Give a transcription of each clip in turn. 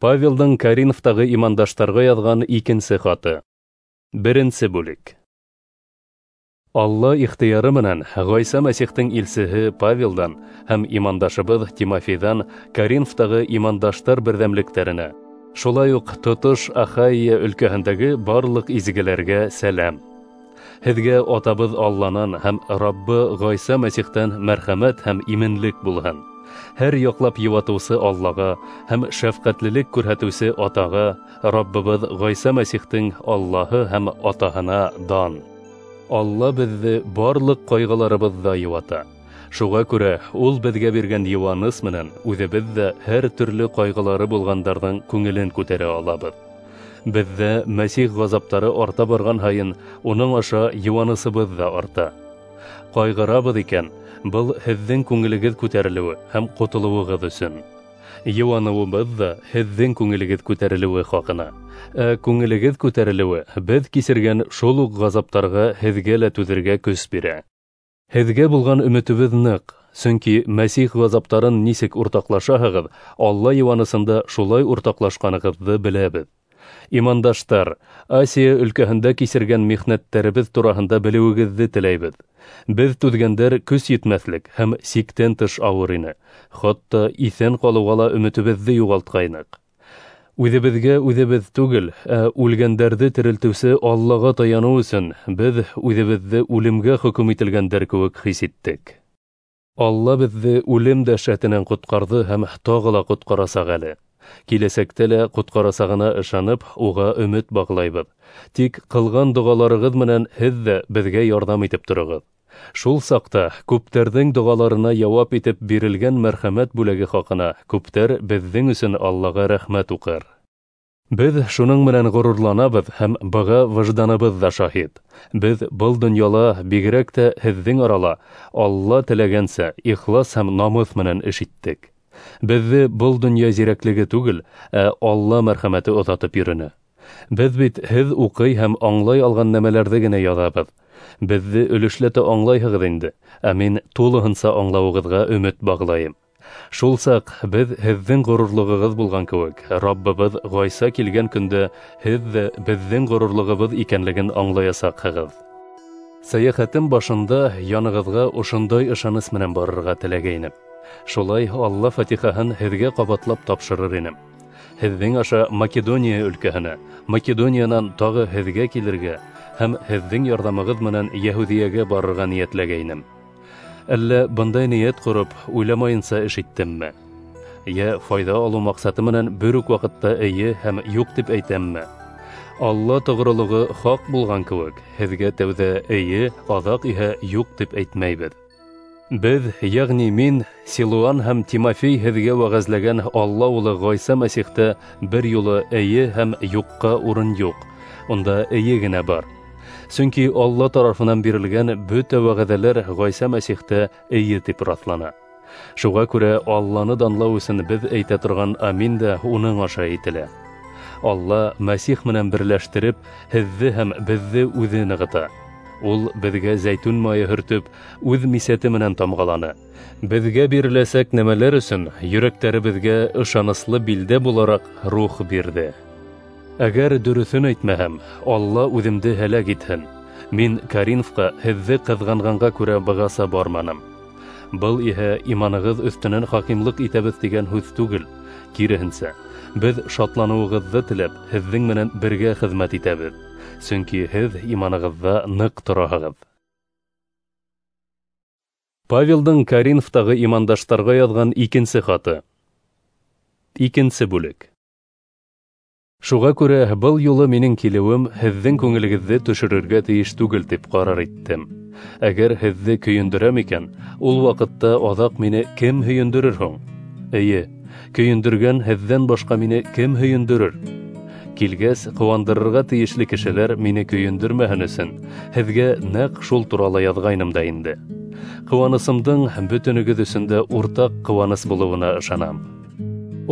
Павелдың Коринфтағы имандаштарға яҙған икенсе хаты. Беренсе бүлек. Алла ихтыяры менән Ғайса Мәсихтең илсеһе Павелдан һәм имандашыбыҙ Тимофейҙан Коринфтағы имандаштар берҙәмлектәренә, шулай уҡ тотош Ахайя өлкәһендәге барлыҡ изгеләргә сәләм. Һеҙгә атабыҙ Алланан һәм Раббы Ғайса Мәсихтән мәрхәмәт һәм именлек булһын. Һәр яҡлап йыуатыусы Аллаға һәм шәфҡәтлелек күрһәтеүсе Атаға, Раббыбыҙ Ғайса Мәсихтең Аллаһы һәм Атаһына дан. Алла беҙҙе барлыҡ ҡайғыларыбыҙҙа йыуата. Шуға күрә ул беҙгә биргән йыуаныс менән үҙебеҙ ҙә һәр төрлө ҡайғылары булғандарҙың күңелен күтәрә алабыҙ. Беҙҙә Мәсих ғазаптары арта барған һайын уның аша йыуанысыбыҙ ҙа арта. Ҡайғырабыҙ икән, был һеҙҙең күңелегеҙ күтәрелеүе һәм ҡотолоуығыҙ өсөн. Йыуаныуыбыҙ ҙа һеҙҙең күңелегеҙ күтәрелеүе хаҡына. Ә күңелегеҙ күтәрелеүе беҙ кисергән шул уҡ ғазаптарға һеҙгә лә түҙергә көс бирә. Һеҙгә булған өмөтөбөҙ ныҡ, сөнки Мәсих ғазаптарын нисек уртаҡлашаһығыҙ, Алла йыуанысында шулай уртаҡлашҡанығыҙҙы беләбеҙ. Имандаштар, Асия өлкәһендә кисергән михнәттәребеҙ тураһында белеүегеҙҙе теләйбеҙ. Беҙ түҙгәндәр көс етмәҫлек һәм сиктән тыш ауыр ине. Хатта иҫән ҡалыуға ла өмөтөбөҙҙө юғалтҡайныҡ. Үҙебеҙгә үҙебеҙ түгел, ә үлгәндәрҙе терелтеүсе Аллаға таяныу өсөн беҙ үҙебеҙҙе үлемгә хөкөм ителгәндәр кеүек хис иттек. Алла беҙҙе үлем дәһшәтенән ҡотҡарҙы һәм тағы ла ҡотҡарасаҡ әле. Киләсәктә лә ҡотҡарасағына ышанып, уға өмөт бағлайбыҙ. Тик ҡылған доғаларығыҙ менән һеҙ ҙә беҙгә ярҙам итеп тороғоҙ. Шул саҡта күптәрҙең доғаларына яуап итеп бирелгән мәрхәмәт бүләге хаҡына күптәр беҙҙең өсөн Аллаға рәхмәт уҡыр. Беҙ шуның менән ғорурланабыҙ һәм быға выжданыбыҙ ҙа шаһит. Беҙ был донъяла, бигерәк тә һеҙҙең арала, Алла теләгәнсә ихлас һәм намыҫ менән эш иттек. Беҙҙе был донъя зирәклеге түгел, ә Алла мәрхәмәте оҙатып йөрөнө. Беҙ бит һеҙ уҡый һәм аңлай алған нәмәләрҙе генә яҙабыҙ. Беҙҙе өлөшләтә аңлайһығыҙ инде, ә мин тулыһынса аңлауығыҙға өмөт бағлайым. Шул саҡ беҙ һеҙҙең ғорурлығығыҙ булған кеүек, Раббыбыҙ Ғайса килгән көндә һеҙ ҙә беҙҙең ғорурлығыбыҙ икәнлеген аңлаясаҡһығыҙ. Сәйәхәтем башында янығыҙға ошондай ышаныс менән барырға теләгәйнем. Шулай Алла фатихаһын һеҙгә ҡабатлап тапшырыр инем. Һеҙҙең аша Македония өлкәһенә, Македониянан тағы һеҙгә килергә һәм һеҙҙең ярҙамығыҙ менән Йәһүҙиәгә барырға ниәтләгәйнем. Әллә бындай ниәт ҡороп, уйламайынса эш иттемме? Йә файҙа алыу маҡсаты менән бер үк ваҡытта эйе һәм юҡ тип әйтәмме? Алла тоғролоғо хаҡ булған кеүек, һеҙгә тәүҙә эйе, аҙаҡ иһә юҡ тип әйтмәйбеҙ. Беҙ, йәғни мин, Силуан һәм Тимофей һеҙгә вәғәзләгән Алла улы Ғайса Мәсихтә бер юлы эйе һәм юҡҡа урын юҡ, унда эйе генә бар. Сөнки Алла тарафынан бирелгән бөтә вәғәҙәләр Ғайса Мәсихтә эйе тип раҫлана. Шуға күрә Алланы данлау өсөн беҙ әйтә торған амин дә уның аша әйтелә. Алла Мәсих менән берләштереп, һеҙҙе һәм беҙҙе үҙе нығыта. Ул беҙгә зәйтүн майы һөртөп, үҙ мисәте менән тамғаланы. Беҙгә биреләсәк нәмәләр өсөн йөрәктәребеҙгә ышаныслы билдә булараҡ рух бирҙе. Әгәр дөрөҫөн әйтмәһәм, Алла үҙемде һәләк итһен. Мин Коринфҡа һеҙҙе ҡыҙғанғанға күрә бығаса барманым. Был иһә иманығыҙ өҫтөнән хакимлыҡ итәбеҙ тигән һүҙ түгел. Киреһенсә, беҙ шатланыуығыҙҙы теләп, һеҙҙең менән бергә хеҙмәт итәбеҙ. Сөнки һеҙ иманығыҙҙа ныҡ тораһығыҙ. Павелдың Коринфтағы имандаштарға яҙған икенсе хаты. Икенсе бүлек. Шуға күрә был юлы минең килеүем һеҙҙең күңелегеҙҙе төшөрөргә тейеш түгел тип ҡарар иттем. Әгәр һеҙҙе көйөндөрәм икән, ул ваҡытта аҙаҡ мине кем һөйөндөрөр һуң? Эйе, көйөндөргән һеҙҙән башҡа мине кем һөйөндөрөр? Килгәс, ҡыуандырырға тейешле кешеләр мине көйөндөрмәһен өсөн һеҙгә нәҡ шул турала яҙғайным да инде. Ҡыуанысымдың бөтөнөгөҙ өсөн дә уртаҡ ҡыуаныс булыуына ышанам.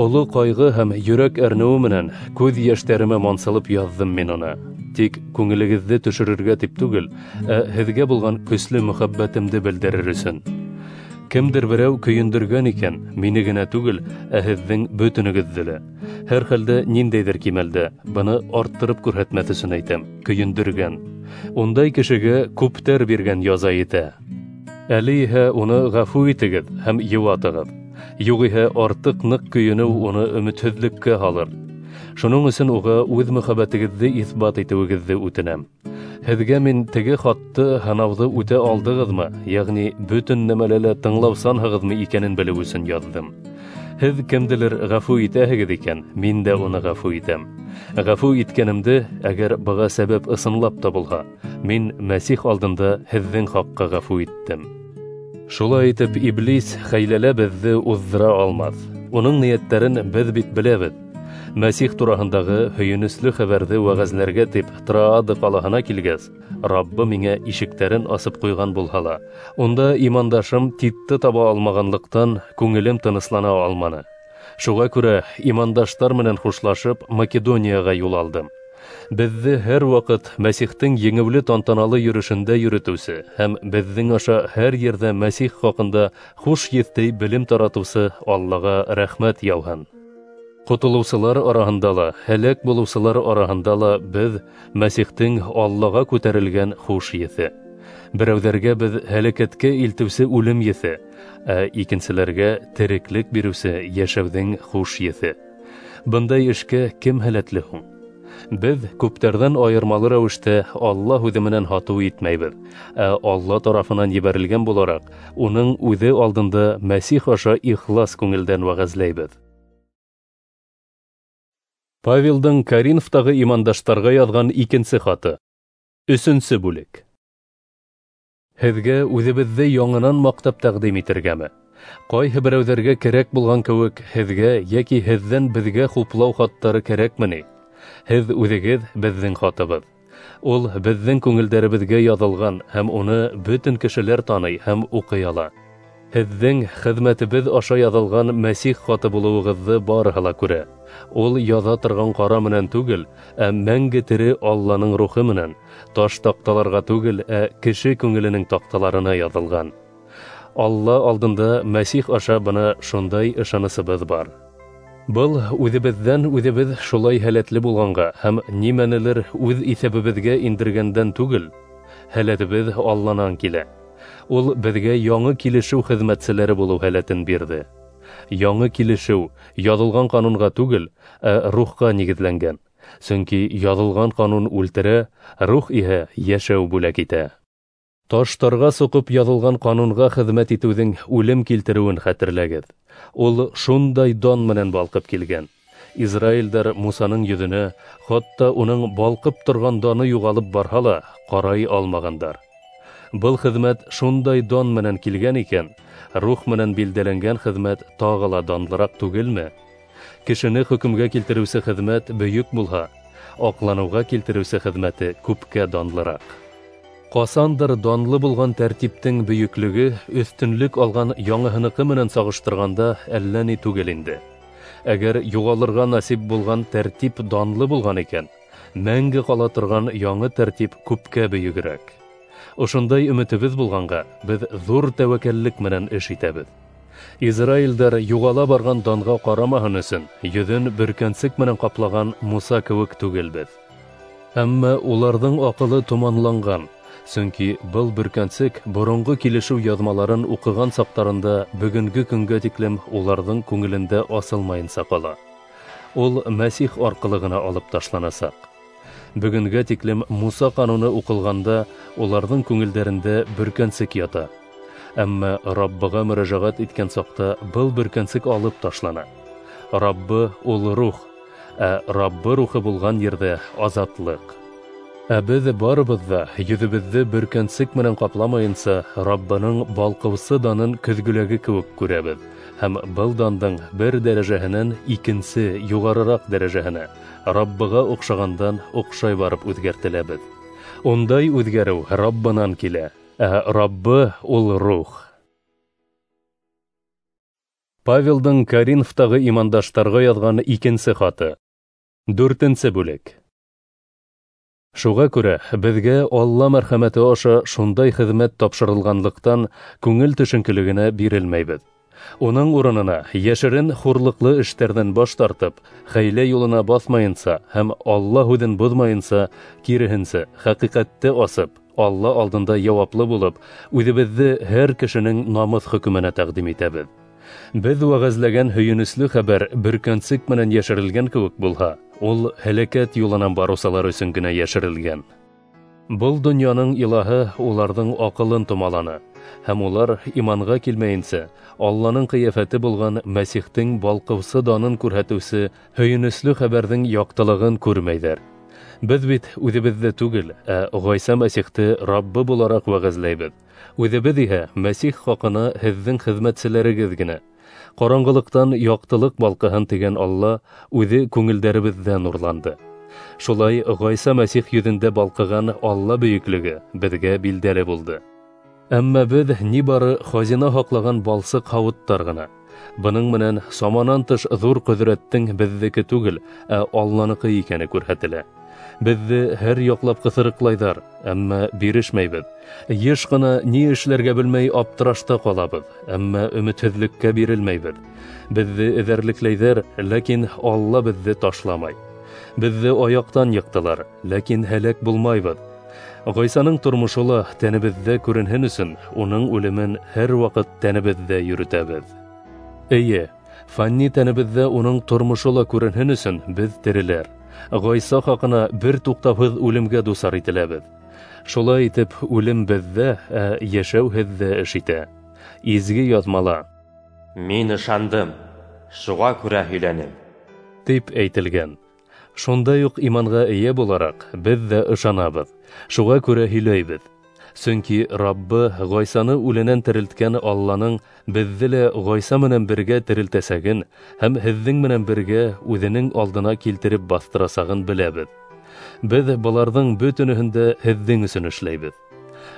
Оло ҡайғы һәм йөрәк әрнеүе менән күҙ йәштәремә мансылып яҙҙым мин уны. Тик күңелегеҙҙе төшөрөргә тип түгел, ә һеҙгә булған көслө мөхәббәтемде белдерер өсөн. Кемдер берәү көйөндөргән икән, мине генә түгел, ә һеҙҙең бөтөнөгөҙҙө лә. Һәр хәлдә ниндәйҙер кимәлдә, быны арттырып күрһәтмәҫ өсөн әйтәм, көйөндөргән. Ундай кешегә күптәр биргән яза етә. Әле иһә уны ғәфү итегеҙ һәм йыуатығыҙ. Юғиһә артыҡ ныҡ көйөнөү уны өмөтһөҙлөккә һалыр. Шуның өсөн уға үҙ мөхәббәтегеҙҙе иҫбат итеүегеҙҙе үтенәм. Һеҙгә мин теге хатты һынауҙы үтә алдығыҙмы, йәғни бөтөн нәмәлә лә тыңлаусанһығыҙмы икәнен белеү өсөн яҙҙым. Һеҙ кемделер ғәфү итәһегеҙ икән, мин дә уны ғәфү итәм. Ғәфү иткәнемде, әгәр быға сәбәп ысынлап та булһа, мин Мәсих алдында һеҙҙең хаҡҡа ғәфү иттем. Шулай итеп, Иблис хәйләлә беҙҙе уҙҙыра алмаҫ. Уның ниәттәрен беҙ бит беләбеҙ. Мәсих тураһындағы һөйөнөслө хәбәрҙе вәғәзләргә тип Троада ҡалаһына килгәс, Раббы миңә ишектәрен асып ҡуйған булһа ла, унда имандашым Титты таба алмағанлыҡтан күңелем тыныслана алманы. Шуға күрә имандаштар менән хушлашып Македонияға юл алдым. Беҙҙе һәр ваҡыт Мәсихтең еңеүле тантаналы йөрөшөндә йөрөтөүсе һәм беҙҙең аша һәр ерҙә Мәсих хаҡында хуш еҫтәй белем таратыусы Аллаға рәхмәт яуһын. Ҡотолоусылар араһында ла, һәләк булыусылар араһында ла беҙ Мәсихтең Аллаға күтәрелгән хуш еҫе. Берәүҙәргә беҙ һәләкәткә илтеүсе үлем еҫе, ә икенселәргә тереклек биреүсе йәшәүҙең хуш еҫе. Бындай эшкә кем һәләтле һуң? Беҙ күптәрҙән айырмалы рәүештә Алла һүҙе менән һатыу итмәйбеҙ, ә Алла тарафынан ебәрелгән булараҡ, уның үҙе алдында Мәсих аша ихлас күңелдән вәғәзләйбеҙ. Павелдың Коринфтағы имандаштарға яҙған икенсе хаты. 3-нсе бүлек. Һеҙгә үҙебеҙҙе яңынан маҡтап тәҡдим итергәме? Ҡайһы берәүҙәргә кәрәк булған кеүек, һеҙгә йәки һеҙҙән беҙгә хуплау хаттары кәрәкме ни? Һеҙ үҙегеҙ беҙҙең хатыбыҙ. Ул беҙҙең күңелдәребеҙгә яҙылған һәм уны бөтөн кешеләр таный һәм уҡый ала. Һеҙҙең хеҙмәтебеҙ аша яҙылған Мәсих хаты булыуығыҙҙы барыһы ла күрә. Ул яҙа торған ҡара менән түгел, ә мәңге тере Алланың рухы менән, таш таҡталарға түгел, ә кеше күңеленең таҡталарына яҙылған. Алла алдында Мәсих аша бына шундай ышанысыбыҙ бар. Был үҙебеҙҙән үҙебеҙ шулай һәләтле булғанға һәм нимәнелер үҙ иҫәбебеҙгә индергәндән түгел, һәләтебеҙ Алланан килә. Ул беҙгә яңы килешеү хеҙмәтселәре булыу һәләтен бирҙе. Яңы килешеү яҙылған ҡанунға түгел, ә рухҡа нигеҙләнгән. Сөнки яҙылған ҡанун үлтерә, рух иһә йәшәү бүләк итә. Таштарға соҡоп яҙылған ҡанунға хеҙмәт итеүҙең үлем килтереүен хәтерләгеҙ. Ул шундай дан менән балҡып килгән. Израилдәр Мусаның йөҙөнә, хатта уның балҡып торған даны юғалып барһа ла, ҡарай алмағандар. Был хеҙмәт шундай дан менән килгән икән, рух менән билдәләнгән хеҙмәт тағы ла данлыраҡ түгелме? Кешене хөкөмгә килтереүсе хеҙмәт бөйөк булһа, аҡланыуға килтереүсе хеҙмәте күпкә данлыраҡ. Ҡасандыр данлы булған тәртиптең бөйөклөгө өҫтөнлөк алған яңыһыныҡы менән сағыштырғанда әллә ни түгел инде. Әгәр юғалырға насип булған тәртип данлы булған икән, мәңге ҡала торған яңы тәртип күпкә бөйөгөрәк. Ошондай өмөтөбөҙ булғанға, беҙ ҙур тәүәккәллек менән эш итәбеҙ. Израилдәр юғала барған данға ҡарамаһын өсөн йөҙөн бөркәнсек менән ҡаплаған Муса кеүек түгелбеҙ. Әммә уларҙың аҡылы томанланған, сөнки был бөркәнсек боронғо килешеү яҙмаларын уҡыған саҡтарында бөгөнгө көнгә тиклем уларҙың күңелендә асылмайынса ҡала. Ул Мәсих арҡылы ғына алып ташланасаҡ. Бөгөнгә тиклем Муса ҡануны уҡылғанда уларҙың күңелдәрендә бөркәнсек ята. Әммә Раббыға мөрәжәғәт иткән саҡта был бөркәнсек алып ташлана. Раббы ул рух, ә Раббы рухы булған ерҙә азатлыҡ. Ә беҙ барыбыҙ ҙа йөҙөбөҙҙө бөркәнсек менән ҡапламайынса Раббының балҡыусы данын көҙгөләге кеүек күрәбеҙ һәм был дандың бер дәрәжәһенән икенсе юғарыраҡ дәрәжәһенә Раббыға оҡшағандан оҡшай барып үҙгәртеләбеҙ. Ундай үҙгәреү Раббынан килә, ә Раббы ул рух. Павелдың Коринфтағы имандаштарға яҙған икенсе хаты. 4-нсе бүлек. Шуға күрә беҙгә Алла мәрхәмәте аша шундай хеҙмәт тапшырылғанлыҡтан күңел төшөнкөлөгөнә бирелмәйбеҙ. Уның урынына йәшерен хурлыҡлы эштәрҙән баш тартып, хәйлә юлына баҫмайынса һәм Алла һүҙен боҙмайынса, киреһенсә, хәҡиҡәтте асып, Алла алдында яуаплы булып, үҙебеҙҙе һәр кешенең намыҫ хөкөмөнә тәҡдим итәбеҙ. Беҙ вәғәзләгән һөйөнөслө хәбәр бөркәнсек менән йәшерелгән кеүек булһа, ул һәләкәт юлынан барыусылар өсөн генә йәшерелгән. Был донъяның илаһы уларҙың аҡылын томаланы, һәм улар иманға килмәйенсә, Алланың ҡиәфәте булған Мәсихтең балҡыусы данын күрһәтеүсе һөйөнөслө хәбәрҙең яҡтылығын күрмәйҙәр. Беҙ бит үҙебеҙҙе түгел, ә Ғайса Мәсихте Раббы булараҡ вәғәзләйбеҙ. Үҙебеҙ иһә Мәсих хаҡына һеҙҙең хеҙмәтселәрегеҙ генә. Ҡараңғылыҡтан яҡтылыҡ балҡыһын тигән Алла үҙе күңелдәребеҙҙә нурланды. Шулай Ғайса Мәсих йөҙөндә балҡыған Алла бөйөклөгө беҙгә билдәле булды. Әммә беҙ ни бары хазина һаҡлаған балсыҡ һауыттар ғына. Бының менән саманан тыш ҙур ҡөҙрәттең беҙҙеке түгел, ә Алланыҡы икәне күрһәтелә. Беҙҙе һәр яҡлап ҡыҫырыҡлайҙар, әммә бирешмәйбеҙ. Йыш ҡына ни эшләргә белмәй аптырашта ҡалабыҙ, әммә өмөтһөҙлөккә бирелмәйбеҙ. Беҙҙе эҙәрлекләйҙәр, ләкин Алла беҙҙе ташламай. Беҙҙе аяҡтан йыҡтылар, ләкин һәләк булмайбыҙ. Ғайсаның тормошо ла тәнебеҙҙә күренһен өсөн, уның үлемен һәр ваҡыт тәнебеҙҙә йөрөтәбеҙ. Эйе, фанни тәнебеҙҙә уның тормошо ла күренһен өсөн беҙ тереләр. Ғайса хаҡына бер туҡтауһыҙ үлемгә дусар ителәбеҙ. Шулай итеп, үлем беҙҙә, ә йәшәү һеҙҙә эш итә. Изге яҙмала: "Мин ышандым, шуға күрә һөйләнем", тип әйтелгән. Шундай уҡ иманға эйә булараҡ, беҙ ҙә ышанабыҙ, шуға күрә һөйләйбеҙ. Сөнки Раббы Ғайсаны үленән терелткән Алланың беҙҙе лә Ғайса менән бергә терелтәсәген һәм һеҙҙең менән бергә үҙенең алдына килтереп баҫтырасағын беләбеҙ. Беҙ быларҙың бөтөнөһөн дә һеҙҙең өсөн эшләйбеҙ.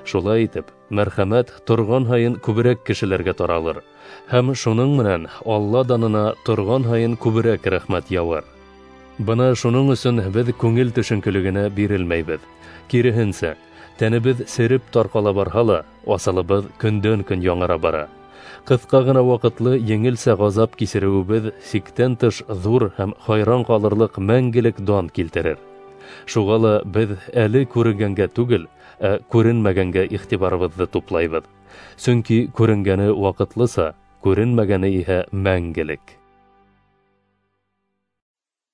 Шулай итеп, мәрхәмәт торған һайын күберәк кешеләргә таралыр, һәм шуның менән Алла данына торған һайын күберәк рәхмәт яуар. Бына шуның өсөн беҙ күңел төшөнкөлөгөнә бирелмәйбеҙ. Киреһенсә, тәнебеҙ сереп тарҡала барһа ла, асылыбыҙ көндән-көн яңыра бара. Ҡыҫҡа ғына ваҡытлы еңелсә ғазап кисереүебеҙ сиктән тыш ҙур һәм хайран ҡалырлыҡ мәңгелек дан килтерер. Шуға ла беҙ әле күренгәнгә түгел, ә күренмәгәнгә иғтибарыбыҙҙы туплайбыҙ. Сөнки күренгәне ваҡытлыса, күренмәгәне иһә мәңгелек.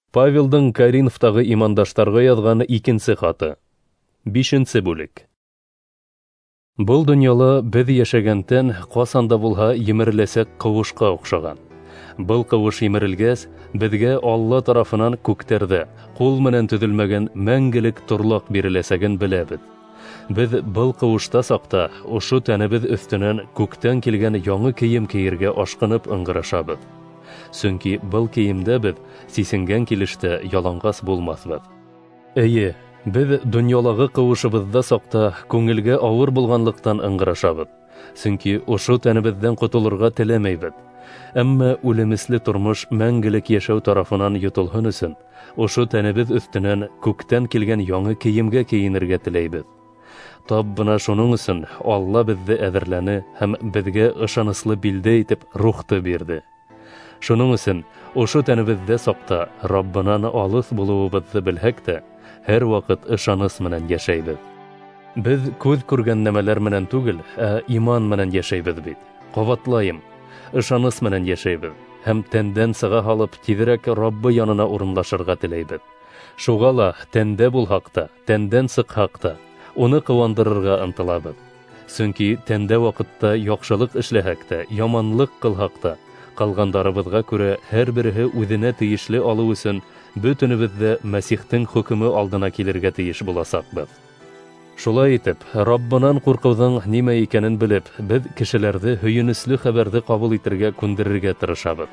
Павелдың Коринфтағы имандаштарға яҙған икенсе хаты. 5-нсе бүлек. Был донъяла беҙ йәшәгән тән ҡасан да булһа емереләсәк ҡыуышҡа оҡшаған. Был ҡыуыш емерелгәс, беҙгә Алла тарафынан күктәрҙә ҡул менән төҙөлмәгән мәңгелек торлаҡ биреләсәген беләбеҙ. Беҙ был ҡыуышта саҡта ошо тәнебеҙ өҫтөнән күктән килгән яңы кейем кейергә ашҡынып ыңғырашабыҙ. Сөнки был кейемдә беҙ сисенгән килештә яланғас булмаҫбыҙ. Эйе, беҙ донъялағы ҡыуышыбыҙҙа саҡта күңелгә ауыр булғанлыҡтан ыңғырашабыҙ. Сөнки ошо тәнебеҙҙән ҡотолорға теләмәйбеҙ. Әммә үлемесле тормош мәңгелек йәшәү тарафынан йотолһон өсөн, ошо тәнебеҙ өҫтөнән күктән килгән яңы кейемгә кейенергә теләйбеҙ. Тап бына шуның өсөн Алла беҙҙе әҙерләне һәм беҙгә ышаныслы билдә итеп рухты бирҙе. Шуның өсөн ошо тәнебеҙҙә саҡта Раббынан алыҫ булыуыбыҙҙы белһәк тә, һәр ваҡыт ышаныс менән йәшәйбеҙ. Беҙ күҙ күргән нәмәләр менән түгел, ә иман менән йәшәйбеҙ бит. Ҡабатлайым, ышаныс менән йәшәйбеҙ һәм тәндән сыға һалып тиҙерәк Раббы янына урынлашырға теләйбеҙ. Шуға ла тәндә булһаҡ та, тәндән сыҡһаҡ та, уны ҡыуандырырға ынтылабыҙ. Сөнки тәндә ваҡытта яҡшылыҡ эшләһәк тә, яманлыҡ ҡылһаҡ та, ҡалғандарыбыҙға күрә һәр береһе үҙенә тейешле алыу өсөн бөтөнөбөҙ ҙә Мәсихтең хөкөмө алдына килергә тейеш буласаҡбыҙ. Шулай итеп, Раббынан ҡурҡыуҙың нимә икәнен белеп, беҙ кешеләрҙе һөйөнөслө хәбәрҙе ҡабул итергә күндерергә тырышабыҙ.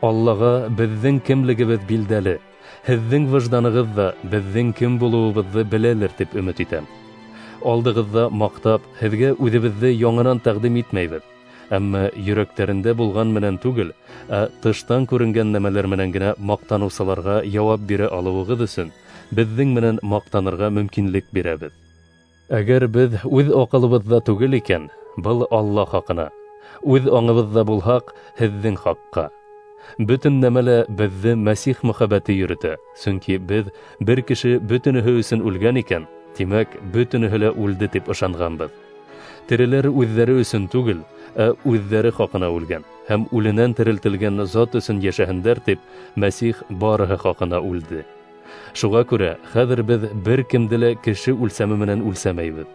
Аллаға беҙҙең кемлегебеҙ билдәле, һеҙҙең выжданығыҙ ҙа беҙҙең кем булыуыбыҙҙы беләлер тип өмөт итәм. Алдығыҙҙа маҡтап, һеҙгә үҙебеҙҙе яңынан тәҡдим итмәйбеҙ. Әммә йөрәктәрендә булған менән түгел, ә тыштан күренгән нәмәләр менән генә маҡтаныусыларға яуап бирә алыуығыҙ өсөн, Беҙҙең менән маҡтанырға мөмкинлек бирәбеҙ. Әгәр беҙ үҙ аҡылыбыҙҙа түгел икән, был Алла хаҡына. Үҙ аңыбыҙҙа булһаҡ, һеҙҙең хаҡҡа. Бөтөн нәмәлә беҙҙе Мәсих мөхәббәте йөрөтә, сөнки беҙ бер кеше бөтөнөһө өсөн үлгән икән, тимәк, бөтөнөһө лә үлде тип ышанғанбыҙ. Тереләр үҙҙәре өсөн түгел, ә үҙҙәре хаҡына үлгән һәм үленән терелтелгән зат өсөн йәшәһендәр тип Мәсих барыһы хаҡына үлде. Шуға күрә хәҙер беҙ бер кемде лә кеше үлсәме менән үлсәмәйбеҙ.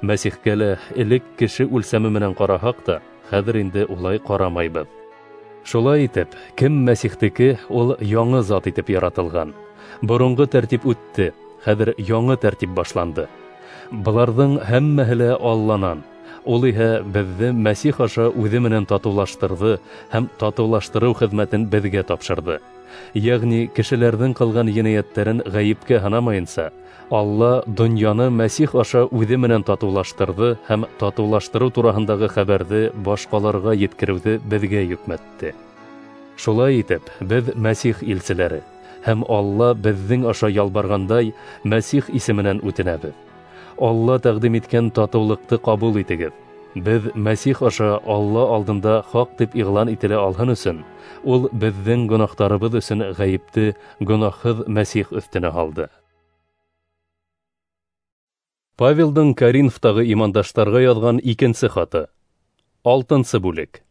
Мәсихкә лә элек кеше үлсәме менән ҡараһаҡ та, хәҙер инде улай ҡарамайбыҙ. Шулай итеп, кем Мәсихтеке, ул яңы зат итеп яратылған. Боронғо тәртип үтте, хәҙер яңы тәртип башланды. Быларҙың һәммәһе лә Алланан. Ул иһә беҙҙе Мәсих аша үҙе менән татыулаштырҙы һәм татыулаштырыу хеҙмәтен беҙгә тапшырҙы. Йәғни кешеләрҙең ҡылған енәйәттәрен ғәйепкә һанамайынса, Алла донъяны Мәсих аша үҙе менән татыулаштырҙы һәм татыулаштырыу тураһындағы хәбәрҙе башҡаларға еткереүҙе беҙгә йөкмәтте. Шулай итеп, беҙ Мәсих илселәре һәм Алла беҙҙең аша ялбарғандай Мәсих исеменән үтенәбеҙ. Алла тәҡдим иткән татыулыҡты ҡабул итегеҙ. Беҙ Мәсих аша Алла алдында хаҡ тип иғлан ителә алһын өсөн, ул беҙҙең гонаһтарыбыҙ өсөн ғәйепте гонаһһыҙ Мәсих өҫтөнә һалды. Павелдың Коринфтағы имандаштарға яҙған икенсе хаты. 6-нсы бүлек.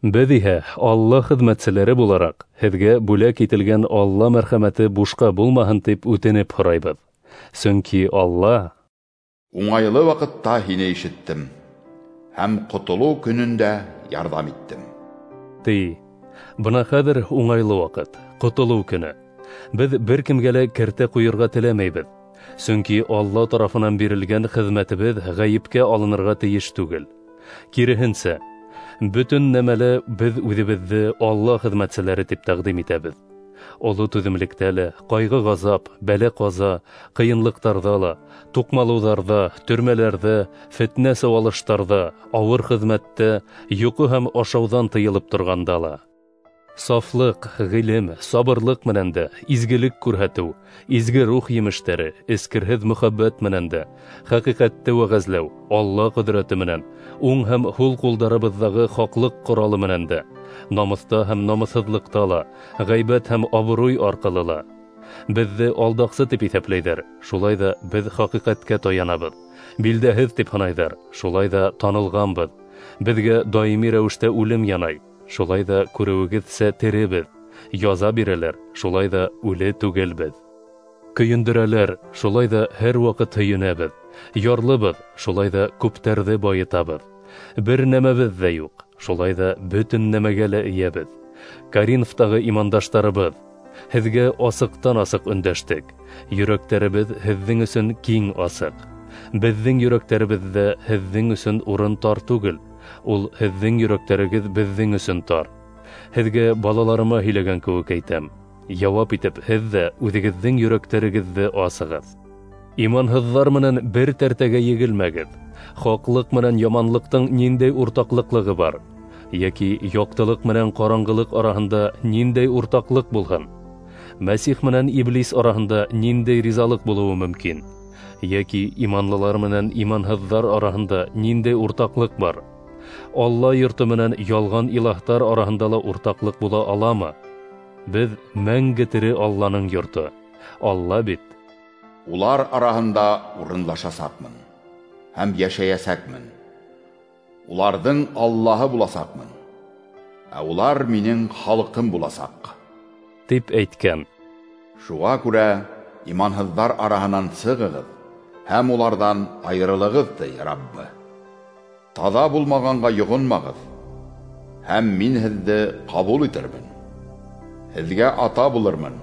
Беҙ иһә Алла хеҙмәтселәре булараҡ, һеҙгә бүләк ителгән Алла мәрхәмәте бушҡа булмаһын тип үтенеп һорайбыҙ. Сөнки Алла уңайлы ваҡытта һине ишеттем һәм ҡотолоу көнөндә ярҙам иттем. Ти, бына хәҙер уңайлы ваҡыт, ҡотолоу көнө. Беҙ бер кемгә лә кәртә ҡуйырға теләмәйбеҙ. Сөнки Алла тарафынан бирелгән хеҙмәтебеҙ ғәйепкә алынырға тейеш түгел. Киреһенсә, бөтөн нәмәлә беҙ үҙебеҙҙе Алла хеҙмәтселәре тип тәҡдим итәбеҙ. Оло түҙемлектә лә, ҡайғы-ғазап, бәлә-ҡаза, ҡыйынлыҡтарҙа ла, туҡмалыуҙарҙа, төрмәләрҙә, фетнә-сыуалыштарҙа, ауыр хеҙмәттә, йоҡо һәм ашауҙан тыйылып торғанда ла. Сафлыҡ, ғилем, сабырлыҡ менән дә, изгелек күрһәтеү, изге рух емештәре, эскерһеҙ мөхәббәт менән дә, хәҡиҡәтте вәғәзләү, Алла ҡөҙрәте менән, уң һәм һул ҡулдарыбыҙҙағы хаҡлыҡ ҡоралы менән дә, намыҫта һәм намыҫһыҙлыҡта ла, ғәйбәт һәм абруй арҡылы ла. Беҙҙе алдаҡсы тип иҫәпләйҙәр, шулай ҙа беҙ хәҡиҡәткә таянабыҙ. Билдәһеҙ тип һанайҙар, шулай ҙа танылғанбыҙ. Беҙгә даими рәүештә үлем янай, шулай ҙа күреүегеҙсә теребеҙ. Яза бирәләр, шулай ҙа үле түгелбеҙ. Көйөндөрәләр, шулай ҙа һәр ваҡыт һөйөнәбеҙ. Ярлыбыҙ, шулай ҙа күптәрҙе байытабыҙ. Бер нәмәбеҙ ҙә юҡ, шулай ҙа бөтөн нәмәгә лә эйәбеҙ. Коринфтағы имандаштарыбыҙ, һеҙгә асыҡтан-асыҡ өндәштек. Йөрәктәребеҙ һеҙҙең өсөн киң асыҡ. Беҙҙең йөрәктәребеҙҙә һеҙҙең өсөн урын тар түгел, ул һеҙҙең йөрәктәрегеҙ беҙҙең өсөн тар. Һеҙгә балаларыма һөйләгән кеүек әйтәм. Яуап итеп һеҙ ҙә үҙегеҙҙең йөрәктәрегеҙҙе асығыҙ. Иманһыҙҙар менән бер тәртәгә егелмәгеҙ. Хаҡлыҡ менән яманлыҡтың ниндәй уртаҡлыҡлығы бар? Йәки яҡтылыҡ менән ҡараңғылыҡ араһында ниндәй уртаҡлыҡ булһын? Мәсих менән иблис араһында ниндәй ризалыҡ булыуы мөмкин? Йәки иманлылар менән иманһыҙҙар араһында ниндәй уртаҡлыҡ бар? Алла йорто менән ялған илаһтар араһында ла уртаҡлыҡ була аламы? Беҙ мәңге тере Алланың йорто. Алла бит улар араһында урынлашасаҡмын һәм йәшәйәсәкмен. Уларҙың Аллаһы буласаҡмын, ә улар минең халҡым буласаҡ, тип әйткән. Шуға күрә иманһыҙҙар араһынан сығығыҙ һәм уларҙан айырылығыҙ, ти Раббы. Таҙа булмағанға йоғонмағыҙ, һәм мин һеҙҙе ҡабул итермен. Һеҙгә ата булырмын,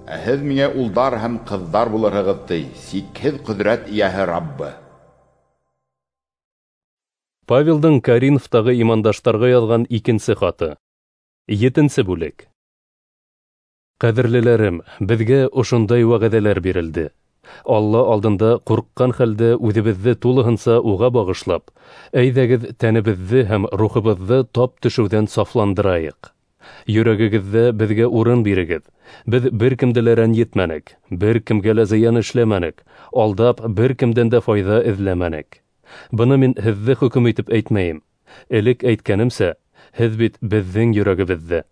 ә һеҙ миңә улдар һәм ҡыҙҙар булырһығыҙ, ти сикһеҙ ҡөҙрәт эйәһе Раббы. Павелдың Коринфтағы имандаштарға яҙған икенсе хаты. 7-нсе бүлек. Ҡәҙерлеләрем, беҙгә ошондай вәғәҙәләр бирелде. Алла алдында ҡурҡҡан хәлдә үҙебеҙҙе тулыһынса уға бағышлап, әйҙәгеҙ тәнебеҙҙе һәм рухыбыҙҙы тап төшөүҙән сафландырайыҡ. Йөрәгегеҙҙә беҙгә урын бирегеҙ. Беҙ бер кемде лә рәнйетмәнек, бер кемгә лә зыян эшләмәнек, алдап бер кемдән дә файҙа эҙләмәнек. Быны мин һеҙҙе хөкөм итеп әйтмәйем. Элек әйткәнемсә, һеҙ бит беҙҙең йөрәгебеҙҙә.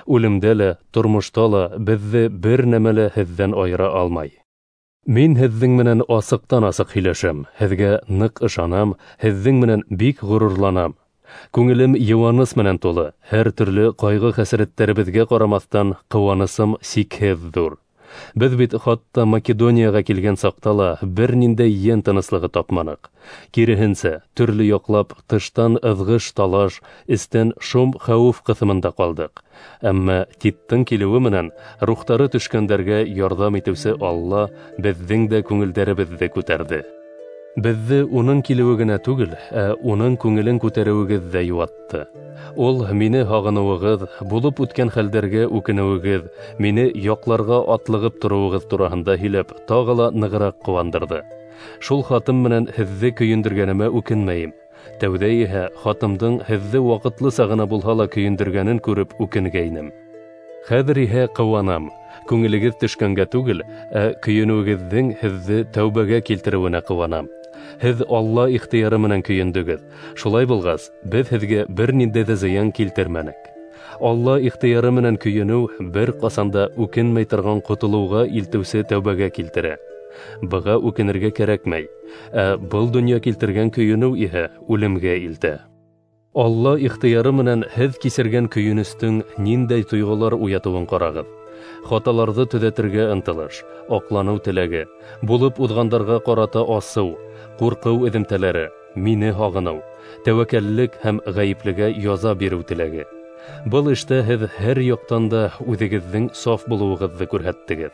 Үлемдә лә, тормошта ла беҙҙе бер нәмә лә һеҙҙән айыра алмай. Мин һеҙҙең менән асыҡтан-асыҡ һөйләшәм, һеҙгә ныҡ ышанам, һеҙҙең менән бик ғорурланам. Күңелем йыуаныс менән тулы, һәр төрлө ҡайғы-хәсрәттәребеҙгә ҡарамаҫтан ҡыуанысым сикһеҙ ҙур. Беҙ бит хатта Македонияға килгән саҡта ла бер ниндәй йән тыныслығы тапманыҡ. Киреһенсә, төрлө яҡлап тыштан ыҙғыш-талаш, эстән шом-хәүеф ҡыҫымында ҡалдыҡ. Әммә Титтың килеүе менән рухтары төшкәндәргә ярҙам итеүсе Алла беҙҙең дә күңелдәребеҙҙе күтәрҙе. Беҙҙе уның килеүе генә түгел, ә уның күңелен күтәреүегеҙ ҙә йыуатты. Ул мине һағыныуығыҙ, булып үткән хәлдәргә үкенеүегеҙ, мине яҡларға атлығып тороуығыҙ тураһында һөйләп, тағы ла нығыраҡ ҡыуандырҙы. Шул хатым менән һеҙҙе көйөндөргәнемә үкенмәйем. Тәүҙә иһә хатымдың һеҙҙе ваҡытлыса ғына булһа ла көйөндөргәнен күреп үкенгәйнем. Хәҙер иһә ҡыуанам. Күңелегеҙ төшкәнгә түгел, ә көйөнөүегеҙҙең һеҙҙе тәүбәгә килтереүенә ҡыуанам. Һеҙ Алла ихтыяры менән көйөндөгөҙ. Шулай булғас, беҙ һеҙгә бер ниндәй ҙә зыян килтермәнек. Алла ихтыяры менән көйөнөү бер ҡасан да үкенмәй торған ҡотолоуға илтеүсе тәүбәгә килтерә. Быға үкенергә кәрәкмәй, ә был донъя килтергән көйөнөү иһә үлемгә илтә. Алла ихтыяры менән һеҙ кисергән көйөнөстөң ниндәй тойғолар уятыуын ҡарағыҙ. Хаталарҙы төҙәтергә ынтылыш, аҡланыу теләге, булып уҙғандарға ҡарата асыу, ҡурҡыу эҙемтәләре, мине һағыныу, тәүәккәллек һәм ғәйеплегә яза биреү теләге. Был эштә һеҙ һәр яҡтан да үҙегеҙҙең саф булыуығыҙҙы күрһәттегеҙ.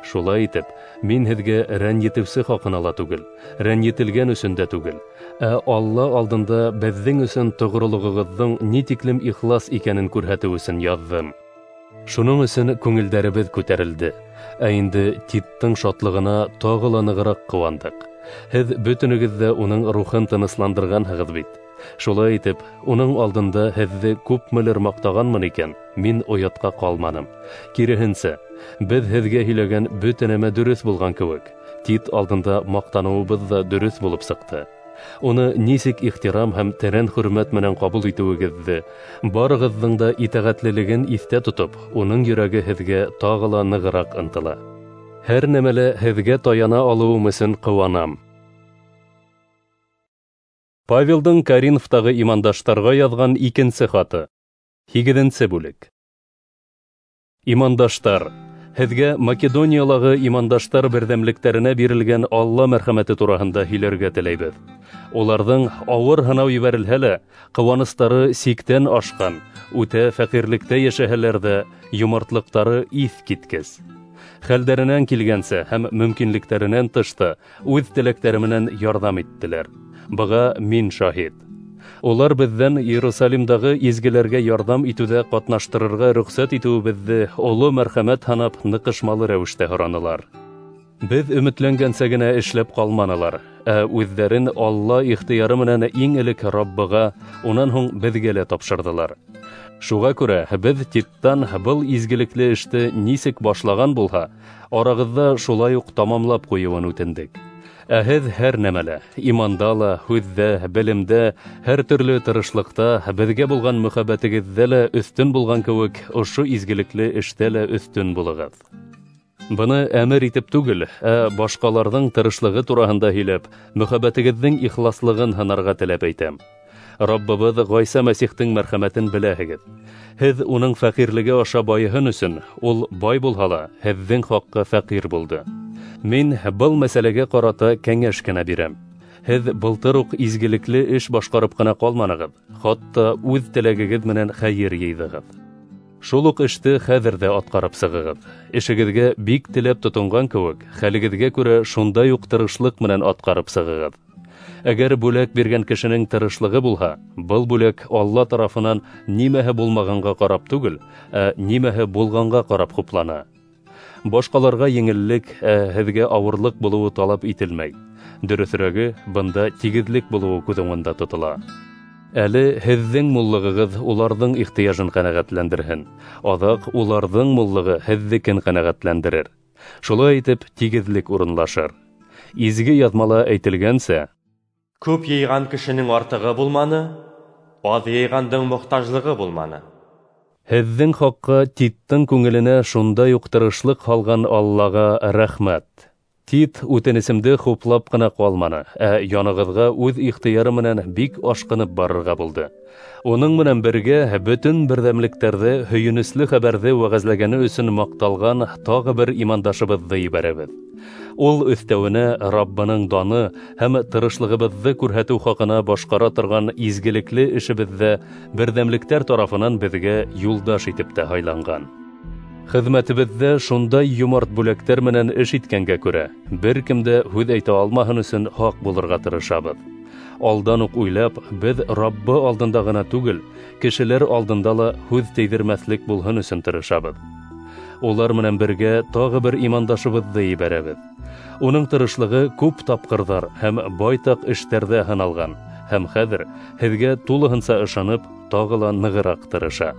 Шулай итеп, мин һеҙгә рәнйетеүсе хаҡына ла түгел, рәнйетелгән өсөн дә түгел, ә Алла алдында беҙҙең өсөн тоғролоғоғоҙҙоң ни тиклем ихлас икәнен күрһәтеү өсөн яҙҙым. Шуның өсөн күңелдәребеҙ күтәрелде, ә инде Титтың шатлығына тағы ла нығыраҡ ҡыуандыҡ. Һеҙ бөтөнөгөҙ ҙә уның рухын тынысландырғанһығыҙ бит. Шулай итеп, уның алдында һеҙҙе күпмелер маҡтағанмын икән, мин оятҡа ҡалманым. Киреһенсә, беҙ һеҙгә һөйләгән бөтә нәмә дөрөҫ булған кеүек, Тит алдында маҡтаныуыбыҙ ҙа дөрөҫ булып сыҡты. Уны нисек ихтирам һәм тәрән хөрмәт менән ҡабул итеүегеҙҙе, барығыҙҙың да итәғәтлелеген иҫтә тотоп, уның йөрәге һеҙгә тағы ла нығыраҡ ынтыла. Һәр нәмәлә һеҙгә таяна алыуым өсөн ҡыуанам. Павелдың Коринфтағы имандаштарға яҙған икенсе хаты. 8-нсе бүлек. Имандаштар, һеҙгә Македониялағы имандаштар берҙәмлектәренә бирелгән Алла мәрхәмәте тураһында һөйләргә теләйбеҙ. Уларҙың ауыр һынау ебәрелһә лә, ҡыуаныстары сиктән ашҡан, үтә фәҡирлектә йәшәһәләр ҙә, йомартлыҡтары иҫ киткес. Хәлдәренән килгәнсә һәм мөмкинлектәренән тышта үҙ теләктәре менән ярҙам иттеләр. Быға мин шаһит. Улар беҙҙән Иерусалимдағы изгеләргә ярҙам итеүҙә ҡатнаштырырға рөхсәт итеүебеҙҙе оло мәрхәмәт һанап ныҡышмалы рәүештә һоранылар. Беҙ өмөтләнгәнсә генә эшләп ҡалманылар, ә үҙҙәрен Алла ихтыяры менән иң элек Раббыға, унан һуң беҙгә лә тапшырҙылар. Шуға күрә беҙ Титтан был изгелекле эште нисек башлаған булһа, арағыҙҙа шулай уҡ тамамлап ҡуйыуын үтендек. Ә һеҙ һәр нәмәлә, иманда ла, һүҙҙә, белемдә, һәр төрлө тырышлыҡта, беҙгә булған мөхәббәтегеҙҙә лә өҫтөн булған кеүек, ошо изгелекле эштә лә өҫтөн булығыҙ. Быны әмер итеп түгел, ә башҡаларҙың тырышлығы тураһында һөйләп, мөхәббәтегеҙҙең ихласлығын һынарға теләп әйтәм. Раббыбыҙ Ғайса Мәсихтең мәрхәмәтен беләһегеҙ. Һеҙ уның фәҡирлеге аша байыһын өсөн, ул бай булһа ла, һеҙҙең хаҡҡа фәҡир булды. Мин был мәсьәләгә ҡарата кәңәш кенә бирәм. Һеҙ былтыр уҡ изгелекле эш башҡарып ҡына ҡалманығыҙ, хатта үҙ теләгегеҙ менән хәйер йыйҙығыҙ. Шул уҡ эште хәҙер ҙә атҡарып сығығыҙ. Эшегеҙгә бик теләп тотонған кеүек, хәлегеҙгә күрә шундай уҡ тырышлыҡ менән атҡарып сығығыҙ. Әгәр бүләк биргән кешенең тырышлығы булһа, был бүләк Алла тарафынан нимәһе булмағанға ҡарап түгел, ә нимәһе булғанға ҡарап хуплана. Башҡаларға еңеллек, ә һеҙгә ауырлыҡ булыуы талап ителмәй. Дөрөҫөрәге, бында тигеҙлек булыуы күҙ уңында тотола. Әле һеҙҙең муллығығыҙ уларҙың ихтыяжын ҡәнәғәтләндерһен, аҙаҡ уларҙың муллығы һеҙҙекен ҡәнәғәтләндерер. Шулай итеп, тигеҙлек урынлашыр. Изге яҙмала әйтелгәнсә: Күп йыйған кешенең артығы булманы, аҙ йыйғандың мохтажлығы булманы. Һеҙҙең хаҡҡа Титтың күңеленә шундай уҡ тырышлыҡ һалған Аллаға рәхмәт. Тит үтенесемде хуплап ҡына ҡалманы, ә янығыҙға үҙ ихтыяры менән бик ашҡынып барырға булды. Уның менән бергә бөтөн берҙәмлектәрҙе һөйөнөслө хәбәрҙе вәғәзләгәне өсөн маҡталған тағы бер имандашыбыҙҙы ебәрәбеҙ. Ул өҫтәүенә Раббының даны һәм тырышлығыбыҙҙы күрһәтеү хаҡына башҡара торған изгелекле эшебеҙҙә берҙәмлектәр тарафынан беҙгә юлдаш итеп тә һайланған. Хеҙмәтебеҙҙә шундай йомарт бүләктәр менән эш иткәнгә күрә, бер кем дә һүҙ әйтә алмаһын өсөн һаҡ булырға тырышабыҙ. Алдан уҡ уйлап, беҙ Раббы алдында ғына түгел, кешеләр алдында ла һүҙ тейҙермәҫлек булһын өсөн тырышабыҙ. Улар менән бергә тағы бер имандашыбыҙҙы ебәрәбеҙ. Уның тырышлығы күп тапҡырҙар һәм байтаҡ эштәрҙә һыналған, һәм хәҙер һеҙгә тулыһынса ышанып, тағы ла нығыраҡ тырыша.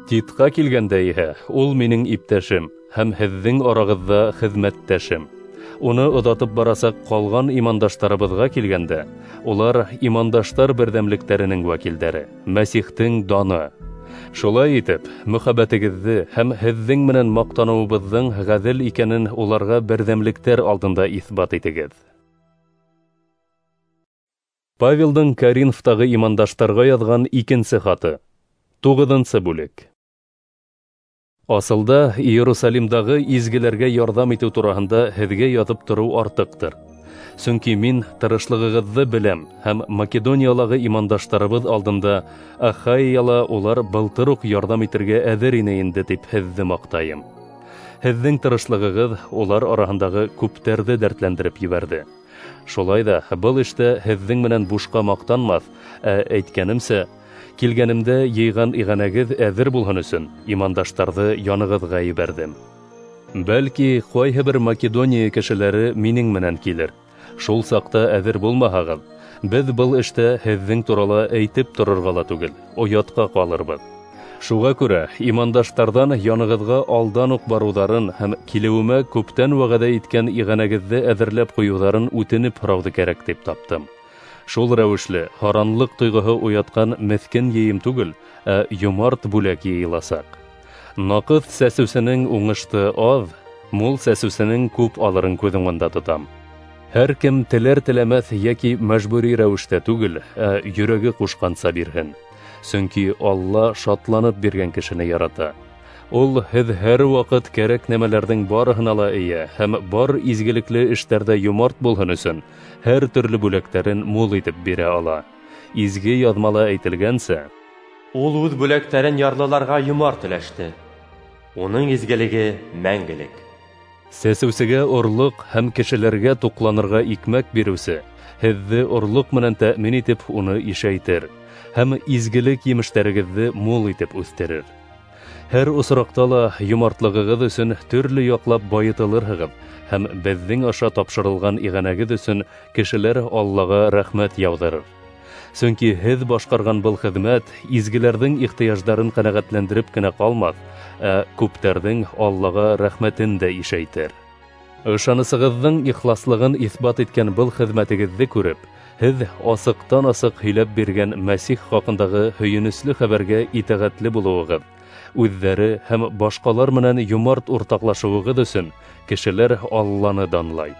Титҡа килгәндә иһә, ул минең иптәшем һәм һеҙҙең арағыҙҙа хеҙмәттәшем. Уны оҙатып барасаҡ ҡалған имандаштарыбыҙға килгәндә, улар имандаштар берҙәмлектәренең вәкилдәре, Мәсихтең даны. Шулай итеп, мөхәббәтегеҙҙе һәм һеҙҙең менән маҡтаныуыбыҙҙың ғәҙел икәнен уларға берҙәмлектәр алдында иҫбат итегеҙ. Павелдың Коринфтағы имандаштарға яҙған икенсе хаты. 9-нсы бүлек. Асылда Иерусалимдағы изгеләргә ярҙам итеү тураһында һеҙгә яҙып тороу артыҡтыр. Сөнки мин тырышлығығыҙҙы беләм һәм Македониялағы имандаштарыбыҙ алдында Ахайяла улар былтыр уҡ ярҙам итергә әҙер ине инде тип һеҙҙе маҡтайым. Һеҙҙең тырышлығығыҙ улар араһындағы күптәрҙе дәртләндереп ебәрҙе. Шулай ҙа был эштә һеҙҙең менән бушҡа маҡтанмаҫ, ә әйткәнемсә, килгәнемдә йыйған иғәнәгеҙ әҙер булһын өсөн имандаштарҙы янығыҙға ебәрҙем. Бәлки, ҡайһы бер Македония кешеләре минең менән килер. Шул саҡта әҙер булмаһағыҙ, беҙ был эштә һеҙҙең турала әйтеп торорға ла түгел, оятҡа ҡалырбыҙ. Шуға күрә имандаштарҙан янығыҙға алдан уҡ барыуҙарын һәм килеүемә күптән вәғәҙә иткән иғәнәгеҙҙе әҙерләп ҡуйыуҙарын үтенеп һорауҙы кәрәк тип таптым. Шул рәүешле һаранлыҡ тойғоһо уятҡан меҫкен йыйым түгел, ә йомарт бүләк йыйыласаҡ. Наҡыҫ сәсеүсенең уңышты аҙ, мул сәсеүсенең күп алырын күҙ уңында тотам. Һәр кем теләр-теләмәҫ йәки мәжбүри рәүештә түгел, ә йөрәге ҡушҡанса бирһен. Сөнки Алла шатланып биргән кешене ярата. Ул һеҙ һәр ваҡыт кәрәк нәмәләрҙең барыһына ла эйә һәм бар изгелекле эштәрҙә йомарт булһын өсөн һәр төрлө бүләктәрен мул итеп бирә ала. Изге яҙмала әйтелгәнсә, Ул үҙ бүләктәрен ярлыларға йомарт өләште. Уның изгелеге мәңгелек. Сәсеүсегә орлоҡ һәм кешеләргә туҡланырға икмәк биреүсе һеҙҙе орлоҡ менән тәьмин итеп уны ишәйтер һәм изгелек емештәрегеҙҙе мул итеп үҫтерер. Һәр осраҡта ла йомартлығығыҙ өсөн төрлө яҡлап байытылырһығыҙ һәм беҙҙең аша тапшырылған иғәнәгеҙ өсөн кешеләр Аллаға рәхмәт яуҙырыр. Сөнки һеҙ башҡарған был хеҙмәт изгеләрҙең ихтыяждарын ҡәнәғәтләндереп кенә ҡалмаҫ, ә күптәрҙең Аллаға рәхмәтен дә ишәйтер. Ышанысығыҙҙың ихласлығын иҫбат иткән был хеҙмәтегеҙҙе күреп, һеҙ асыҡтан-асыҡ һөйләп биргән Мәсих хаҡындағы һөйөнөслө хәбәргә итәғәтле булыуығыҙ, үҙҙәре һәм башҡалар менән йомарт уртаҡлашыуығыҙ өсөн кешеләр Алланы данлай.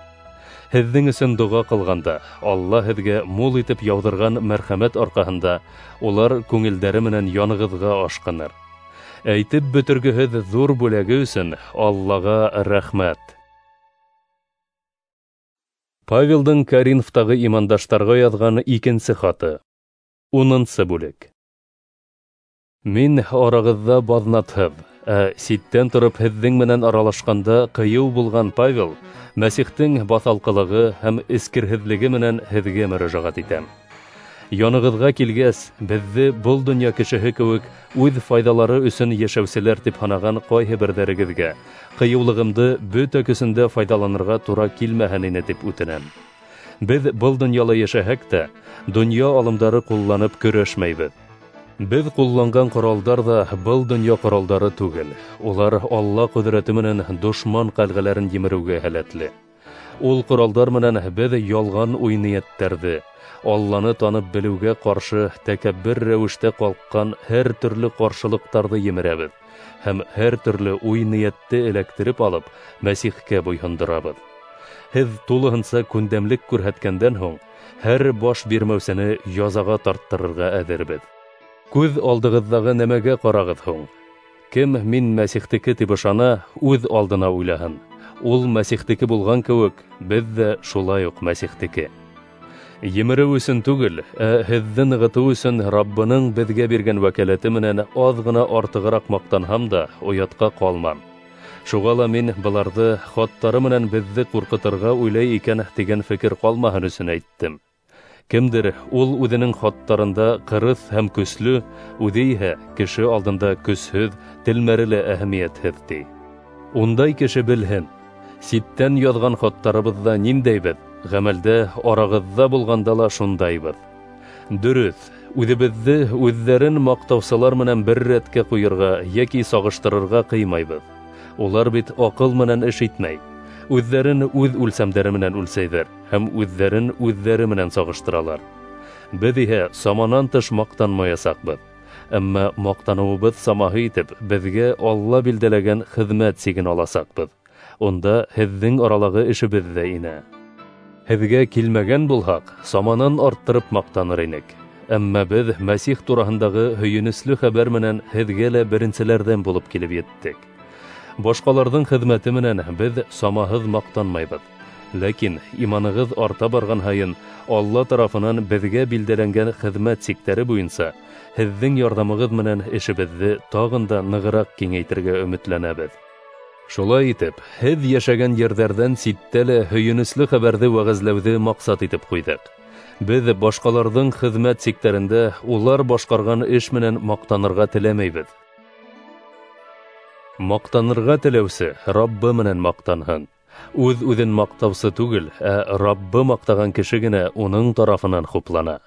Һеҙҙең өсөн доға ҡылғанда, Алла һеҙгә мул итеп яуҙырған мәрхәмәт арҡаһында улар күңелдәре менән янығыҙға ашҡыныр. Әйтеп бөтөргөһөҙ ҙур бүләге өсөн Аллаға рәхмәт. Павелдың Коринфтағы имандаштарға яҙған икенсе хаты. 10-нсы бүлек. Мин арағыҙҙа баҙнатһыҙ, ә ситтән тороп һеҙҙең менән аралашҡанда ҡыйыу булған Павел Мәсихтең баҫалҡылығы һәм эскерһеҙлеге менән һеҙгә мөрәжәғәт итәм. Янығыҙға килгәс, беҙҙе был донъя кешеһе кеүек үҙ файҙалары өсөн йәшәүселәр тип һанаған ҡайһы берҙәрегеҙгә ҡыйыулығымды бөтә көсөндә файҙаланырға тура килмәһен ине тип үтенәм. Беҙ был донъяла йәшәһәк тә, донъя алымдары ҡулланып көрәшмәйбеҙ. Беҙ ҡулланған ҡоралдар ҙа был донъя ҡоралдары түгел. Улар Алла ҡөҙрәте менән дошман ҡәлғәләрен емереүгә һәләтле. Ул ҡоралдар менән беҙ ялған уй-ниәттәрҙе, Алланы танып белеүгә ҡаршы тәкәббер рәүештә ҡалҡҡан һәр төрлө ҡаршылыҡтарҙы емерәбеҙ һәм һәр төрлө уй-ниәтте эләктереп алып Мәсихкә буйһондорабыҙ. Һеҙ тулыһынса күндәмлек күрһәткәндән һуң һәр баш бирмәүсене язаға тарттырырға әҙербеҙ. Күҙ алдығыҙҙағы нәмәгә ҡарағыҙ һуң. Кем мин Мәсихтеке тип ышана, үҙ алдына уйлаһын. Ул Мәсихтеке булған кеүек, беҙ ҙә шулай уҡ Мәсихтеке. Емереү өсөн түгел, ә һеҙҙе нығытыу өсөн Раббының беҙгә биргән вәкәләте менән аҙ ғына артығыраҡ маҡтанһам да, оятҡа ҡалмам. Шуға ла мин быларҙы хаттары менән беҙҙе ҡурҡытырға уйлай икән тигән фекер ҡалмаһын өсөн әйттем. Кемдер ул үҙенең хаттарында ҡырыҫ һәм көслө, үҙе иһә кеше алдында көсһөҙ, телмәре лә әһәмиәтһеҙ ти. Ундай кеше белһен, ситтән яҙған хаттарыбыҙҙа ниндәйбеҙ, ғәмәлдә арағыҙҙа булғанда ла шундайбыҙ. Дөрөҫ, үҙебеҙҙе үҙҙәрен маҡтаусылар менән бер рәткә ҡуйырға йәки сағыштырырға ҡыймайбыҙ. Улар бит аҡыл менән эш итмәй. Үҙҙәрен үҙ үлсәмдәре менән үлсәйҙәр һәм үҙҙәрен үҙҙәре менән сағыштыралар. Беҙ иһә саманан тыш маҡтанмаясаҡбыҙ. Әммә маҡтаныуыбыҙ самаһы итеп беҙгә Алла билдәләгән хеҙмәт сиген аласаҡбыҙ. Унда һеҙҙең аралағы эшебеҙ ҙә инә. Һеҙгә килмәгән булһаҡ, саманан арттырып маҡтаныр инек. Әммә беҙ Мәсих тураһындағы һөйөнөслө хәбәр менән һеҙгә лә беренселәрҙән булып килеп еттек. Башҡаларҙың хеҙмәте менән беҙ самаһыҙ маҡтанмайбыҙ. Ләкин иманығыҙ арта барған һайын Алла тарафынан беҙгә билдәләнгән хеҙмәт сиктәре буйынса һеҙҙең ярҙамығыҙ менән эшебеҙҙе тағын да нығыраҡ киңәйтергә өмөтләнәбеҙ. Шулай итеп, һеҙ йәшәгән ерҙәрҙән ситтә лә һөйөнөслө хәбәрҙе вәғәзләүҙе маҡсат итеп ҡуйҙыҡ. Беҙ башҡаларҙың хеҙмәт сиктәрендә улар башҡарған эш менән маҡтанырға теләмәйбеҙ. Маҡтанырға теләүсе Раббы менән маҡтанһын. Үҙ-үҙен маҡтаусы түгел, ә Раббы маҡтаған кеше генә уның тарафынан хуплана.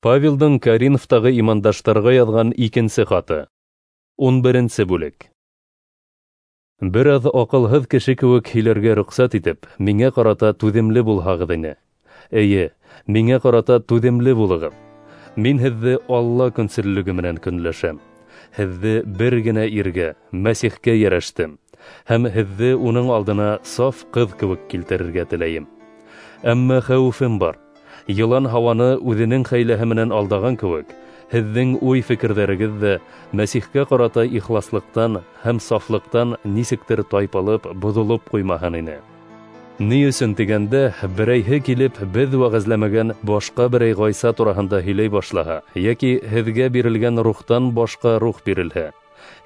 Павелдың Коринфтағы имандаштарға яҙған икенсе хаты. 11-нсе бүлек. Бер аҙ аҡылһыҙ кеше кеүек һөйләргә рөхсәт итеп, миңә ҡарата түҙемле булһағыҙ ине. Эйе, миңә ҡарата түҙемле булығыҙ. Мин һеҙҙе Алла көнсөллөгө менән көнләшәм. Һеҙҙе бер генә иргә, Мәсихкә йәрәштем, һәм һеҙҙе уның алдына саф ҡыҙ кеүек килтерергә теләйем. Әммә хәүефем бар. Йылан һауаны үҙенең хәйләһе менән алдаған кеүек, һеҙҙең уй-фекерҙәрегеҙ ҙә Мәсихкә ҡарата ихласлыҡтан һәм сафлыҡтан нисектер тайпылып, боҙолоп ҡуймаһын ине. Ни өсөн тигәндә, берәйһе килеп беҙ вәғәзләмәгән башҡа берәй Ғайса тураһында һөйләй башлаһа, йәки һеҙгә бирелгән рухтан башҡа рух бирелһә,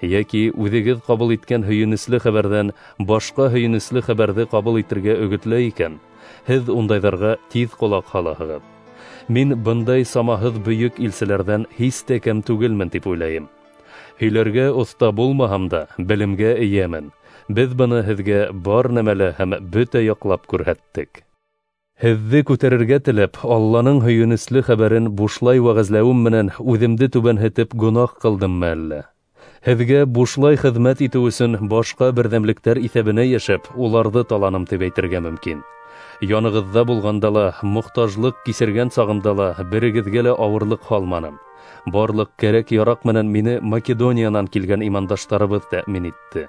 йәки үҙегеҙ ҡабул иткән һөйөнөслө хәбәрҙән башҡа һөйөнөслө хәбәрҙе ҡабул итергә өгөтләй икән, һеҙ ундайҙарға тиҙ ҡолаҡ һалаһығыҙ. Мин бындай самаһыҙ бөйөк илселәрҙән һис тә кәм түгелмен тип уйлайым. Һөйләргә оҫта булмаһам да, белемгә эйәмен. Беҙ быны һеҙгә бар нәмәлә һәм бөтә яҡлап күрһәттек. Һеҙҙе күтәрергә теләп, Алланың һөйөнөслө хәбәрен бушлай вәғәзләүем менән үҙемде түбәнһетеп гонаһ ҡылдыммы әллә? Һеҙгә бушлай хеҙмәт итеү өсөн башҡа берҙәмлектәр иҫәбенә йәшәп, уларҙы таланым тип әйтергә мөмкин. Янығыҙҙа булғанда ла, мохтажлыҡ кисергән сағымда ла берегеҙгә лә ауырлыҡ һалманым. Барлыҡ кәрәк-яраҡ менән мине Македониянан килгән имандаштарыбыҙ тәьмин итте.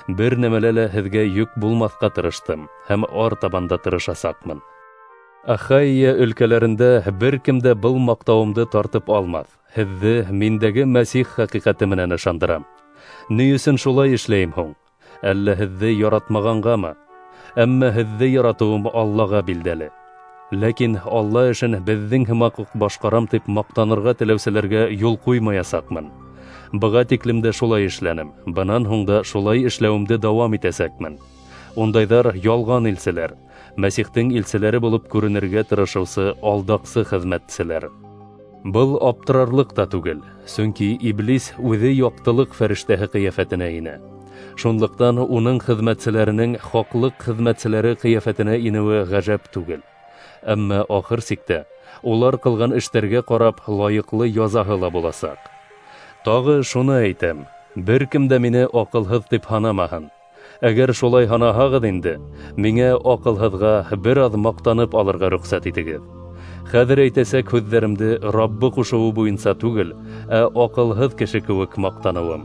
Бер нәмәлә лә һеҙгә йөк булмаҫҡа тырыштым һәм артабан да тырышасаҡмын. Ахайя өлкәләрендә бер кем дә был маҡтауымды тартып алмаҫ. Һеҙҙе миндәге Мәсих хәҡиҡәте менән ышандырам. Ни өсөн шулай эшләйем һуң? Әллә һеҙҙе яратмағанғамы? Әммә һеҙҙе яратыуым Аллаға билдәле. Ләкин Алла эшен беҙҙең һымаҡ уҡ башҡарам тип маҡтанырға теләүселәргә юл ҡуймаясаҡмын. Быға тиклем дә шулай эшләнем, бынан һуң да шулай эшләүемде дауам итәсәкмен. Ундайҙар ялған илселәр, Мәсихтең илселәре булып күренергә тырышыусы алдаҡсы хеҙмәтселәр. Был аптырарлыҡ та түгел, сөнки Иблис үҙе яҡтылыҡ фәрештәһе ҡиәфәтенә инә. Шунлыҡтан уның хеҙмәтселәренең хаҡлыҡ хеҙмәтселәре ҡиәфәтенә инеүе ғәжәп түгел. Әммә ахыр сиктә улар ҡылған эштәргә ҡарап лайыҡлы язаһы ла буласаҡ. Тағы шуны әйтәм: бер кем дә мине аҡылһыҙ тип һанамаһын. Әгәр шулай һанаһағыҙ инде, миңә аҡылһыҙға бер аҙ маҡтанып алырға рөхсәт итегеҙ. Хәҙер әйтәсәк һүҙҙәремде Раббы ҡушыуы буйынса түгел, ә аҡылһыҙ кеше кеүек маҡтаныуым.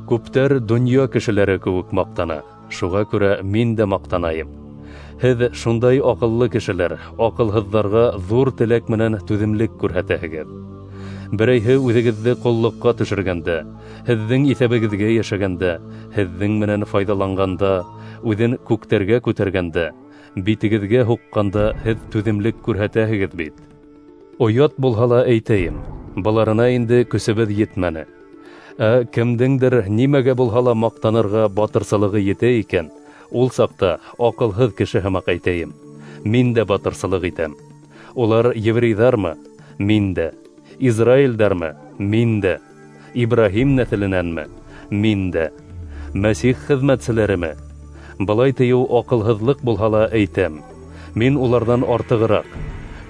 Күптәр донъя кешеләре кеүек маҡтана, шуға күрә мин дә маҡтанайым. Һеҙ шундай аҡыллы кешеләр, аҡылһыҙҙарға ҙур теләк менән түҙемлек күрһәтәһегеҙ. Берәйһе үҙегеҙҙе ҡоллоҡҡа төшөргәндә, һеҙҙең иҫәбегеҙгә йәшәгәндә, һеҙҙең менән файҙаланғанда, үҙен күктәргә күтәргәндә, битегеҙгә һуҡҡанда һеҙ түҙемлек күрһәтәһегеҙ бит. Оят булһа ла әйтәйем, быларына инде көсөбөҙ етмәне. Ә кемдеңдер нимәгә булһа ла маҡтанырға батырсылығы етә икән, ул саҡта аҡылһыҙ кеше һымаҡ әйтәйем: мин дә батырсылыҡ итәм. Улар еврейҙармы? Мин дә. Израилдәрме? Мин дә. Ибраһим нәҫеленәнме? Мин дә. Мәсих хеҙмәтселәреме? Былай тейеү аҡылһыҙлыҡ булһа ла әйтәм: мин уларҙан артығыраҡ,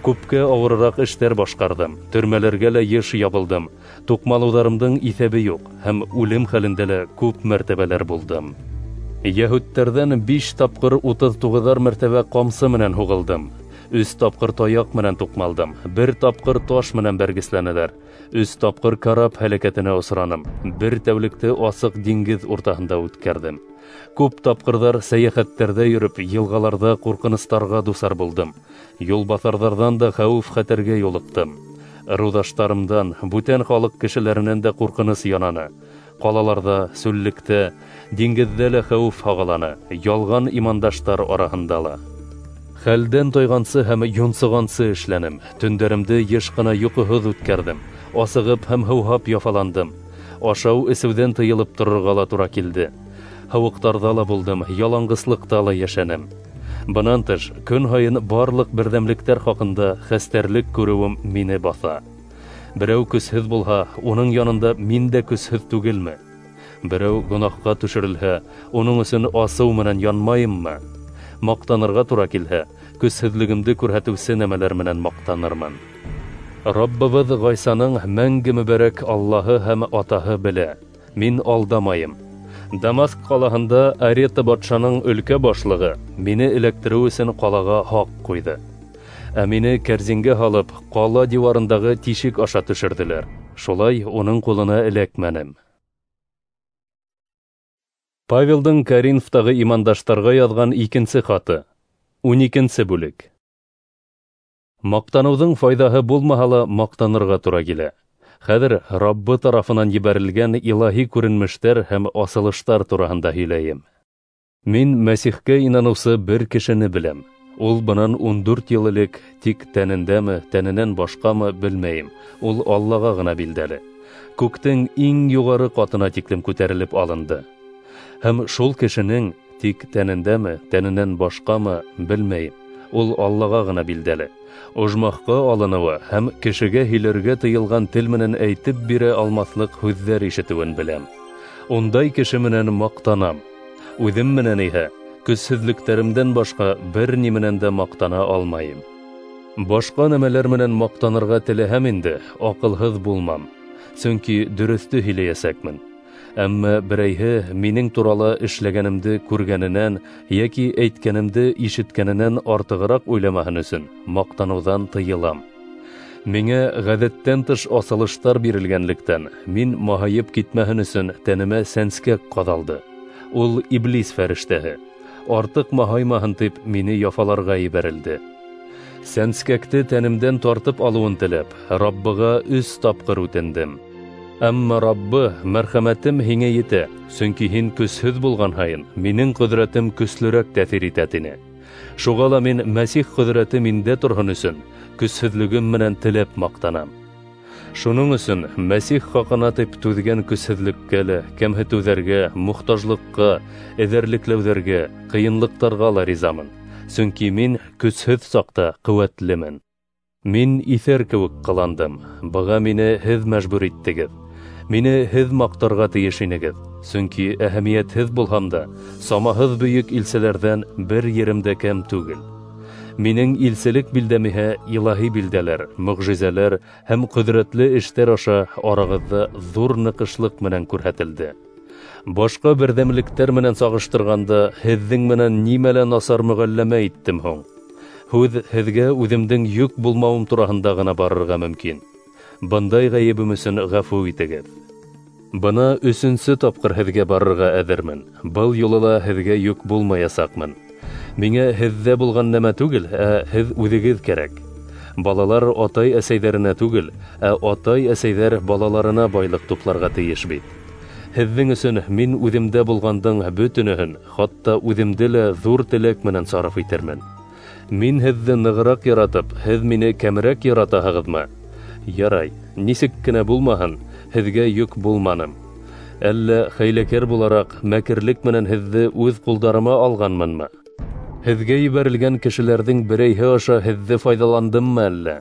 күпкә ауырыраҡ эштәр башҡарҙым, төрмәләргә лә йыш ябылдым, туҡмалыуҙарымдың иҫәбе юҡ һәм үлем хәлендә лә күп мәртәбәләр булдым. Йәһүдтәрҙән 5 тапҡыр 39 мәртәбә ҡамсы менән һуғылдым, 3 тапҡыр таяҡ менән туҡмалдым, 1 тапҡыр таш менән бәргесләнеләр, 3 тапҡыр карап һәләкәтенә осраным, 1 тәүлекте асыҡ диңгеҙ уртаһында үткәрҙем. Күп тапҡырҙар сәйәхәттәрҙә йөрөп, йылғаларҙа ҡурҡыныстарға дусар булдым, юлбаҫарҙарҙан да хәүеф-хәтәргә юлыҡтым. Ырыуҙаштарымдан, бүтән халыҡ кешеләренән дә ҡурҡыныс янаны. Ҡалаларҙа, сүллектә, диңгеҙҙә лә хәүеф һағаланы, ялған имандаштар араһында ла. Хәлдән тойғансы һәм йонсоғансы эшләнем, төндәремде йыш ҡына йоҡоһоҙ үткәрҙем, асығып һәм һыуһап яфаландым. Ашау эсеүҙән тыйылып торорға ла тура килде. Һыуыҡтарҙа ла булдым, яланғыслыҡта ла йәшәнем. Бынан тыш, көн һайын барлыҡ берҙәмлектәр хаҡында хәстәрлек күреүем мине баҫа. Берәү көсһөҙ булһа, уның янында мин дә көсһөҙ түгелме? Берәү гонаһҡа төшөрөлһә, уның өсөн асыу менән янмайыммы? Маҡтанырға тура килһә, көсһөҙлөгөмдө күрһәтеүсе нәмәләр менән маҡтанырмын. Раббыбыҙ Ғайсаның мәңге мөбәрәк Аллаһы һәм Атаһы белә, мин алдамайым. Дамаск ҡалаһында Арета батшаның өлкә башлығы мине эләктереү өсөн ҡалаға һаҡ ҡуйҙы. Ә мине кәрзингә һалып, ҡала диуарындағы тишек аша төшөрҙөләр. Шулай уның ҡулына эләкмәнем. Павелдың Коринфтағы имандаштарға яҙған икенсе хаты, 12 бүлек. Маҡтаныуҙың файҙаһы булмаһа ла маҡтанырға тура килә. Хәҙер Раббы тарафынан ебәрелгән илаһи күренмештәр һәм асылыштар тураһында һөйләйем. Мин Мәсихкә инаныусы бер кешене беләм. Ул бынан 14 йыл элек, тик тәнендәме, тәненән башҡамы белмәйем. Ул Аллаға ғына билдәле. Күктең иң юғары ҡатына тиклем күтәрелеп алынды. Һәм шул кешенең тик тәнендәме, тәненән башҡамы белмәйем. Ул Аллаға ғына билдәле. Ожмахҡа алыныуы һәм кешегә һөйләргә тыйылған тел менән әйтеп бирә алмаҫлыҡ һүҙҙәр ишетеүен беләм. Ундай кеше менән маҡтанам. Үҙем менән иһә көсһөҙлөктәремдән башҡа бер ни менән дә маҡтана алмайым. Башҡа нәмәләр менән маҡтанырға теләһәм инде, аҡылһыҙ булмам, сөнки дөрөҫтө һөйләйәсәкмен. Әммә берәйһе минең турала эшләгәнемде күргәненән йәки әйткәнемде ишеткәненән артығыраҡ уйламаһын өсөн маҡтаныуҙан тыйылам. Миңә ғәҙәттән тыш асылыштар бирелгәнлектән, мин маһайып китмәһен өсөн тәнемә сәнскәк ҡаҙалды. Ул иблис фәрештәһе. Артыҡ маһаймаһын тип мине яфаларға ебәрелде. Сәнскәкте тәнемдән тартып алыуын теләп, Раббыға 3 тапҡыр үтендем. Әммә Раббы, мәрхәмәтем һиңә етә, сөнки һин көсһөҙ булған һайын минең ҡөҙрәтем көслөрәк тәьҫир итә, тине. Шуға ла мин Мәсих ҡөҙрәте миндә торһон өсөн көсһөҙлөгөм менән теләп маҡтанам. Шуның өсөн Мәсих хаҡына тип түҙгән көсһөҙлөккә лә, кәмһетеүҙәргә, мохтажлыҡҡа, эҙәрлекләүҙәргә, ҡыйынлыҡтарға ла ризамын, сөнки мин көсһөҙ саҡта ҡеүәтлемен. Мин иҫәр кеүек ҡыландым, быға мине һеҙ мәжбүр иттегеҙ. Мине һеҙ маҡтарға тейеш инегеҙ. Сөнки әһәмиәтһеҙ булһам да, самаһыҙ бөйөк илселәрҙән бер ерем дә кәм түгел. Минең илселек билдәм иһә илаһи билдәләр, мөғжизәләр һәм ҡөҙрәтле эштәр аша арағыҙҙа ҙур ныҡышлыҡ менән күрһәтелде. Башҡа берҙәмлектәр менән сағыштырғанда, һеҙҙең менән нимәлә насар мөғәлләмә иттем һуң? Һүҙ һеҙгә үҙемдең йөк булмауым тураһында ғына барырға мөмкин. Бындай ғәйебем өсөн ғәфү итегеҙ. Бына өсөнсө тапҡыр һеҙгә барырға әҙермен. Был юлы ла һеҙгә йөк булмаясаҡмын. Миңә һеҙҙә булған нәмә түгел, ә һеҙ үҙегеҙ кәрәк. Балалар атай-әсәйҙәренә түгел, ә атай-әсәйҙәр балаларына байлыҡ тупларға тейеш бит. Һеҙҙең өсөн мин үҙемдә булғандың бөтөнөһөн, хатта үҙемде лә ҙур теләк менән сарыф итермен. Мин һеҙҙе нығыраҡ яратып, һеҙ мине кәмерәк яратаһығыҙмы? Ярай, нисек кенә булмаһын, һеҙгә йөк булманым. Әллә хәйләкәр булараҡ мәкерлек менән һеҙҙе үҙ ҡулдарыма алғанмынмы? Һеҙгә ебәрелгән кешеләрҙең берәйһе аша һеҙҙе файҙаландыммы әллә?